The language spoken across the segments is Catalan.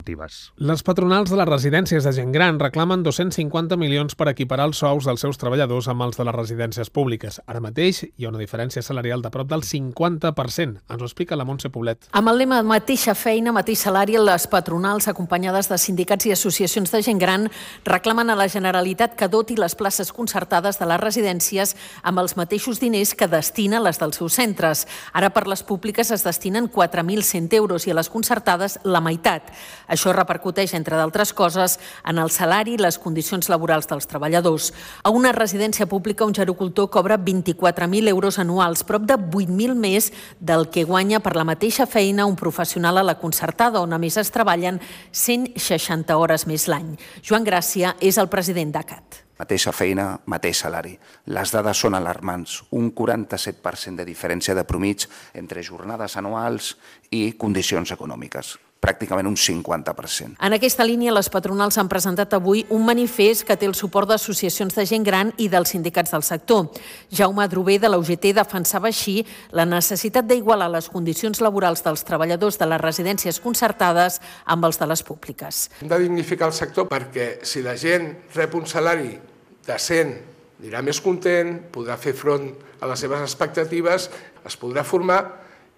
esportives. Les patronals de les residències de gent gran reclamen 250 milions per equiparar els sous dels seus treballadors amb els de les residències públiques. Ara mateix hi ha una diferència salarial de prop del 50%. Ens ho explica la Montse Poblet. Amb el lema mateixa feina, mateix salari, les patronals, acompanyades de sindicats i associacions de gent gran, reclamen a la Generalitat que doti les places concertades de les residències amb els mateixos diners que destina les dels seus centres. Ara per les públiques es destinen 4.100 euros i a les concertades la meitat. Això repercuteix, entre d'altres coses, en el salari i les condicions laborals dels treballadors. A una residència pública, un gerocultor cobra 24.000 euros anuals, prop de 8.000 més del que guanya per la mateixa feina un professional a la concertada, on a més es treballen 160 hores més l'any. Joan Gràcia és el president d'ACAT. Mateixa feina, mateix salari. Les dades són alarmants. Un 47% de diferència de promig entre jornades anuals i condicions econòmiques. Pràcticament un 50%. En aquesta línia, les patronals han presentat avui un manifest que té el suport d'associacions de gent gran i dels sindicats del sector. Jaume Adrover, de la UGT, defensava així la necessitat d'igualar les condicions laborals dels treballadors de les residències concertades amb els de les públiques. Hem de dignificar el sector perquè si la gent rep un salari decent, anirà més content, podrà fer front a les seves expectatives, es podrà formar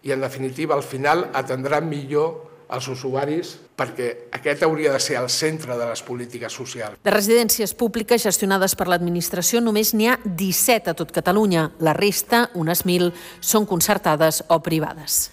i, en definitiva, al final atendrà millor els usuaris, perquè aquest hauria de ser el centre de les polítiques socials. De residències públiques gestionades per l'administració només n'hi ha 17 a tot Catalunya. La resta, unes 1.000, són concertades o privades.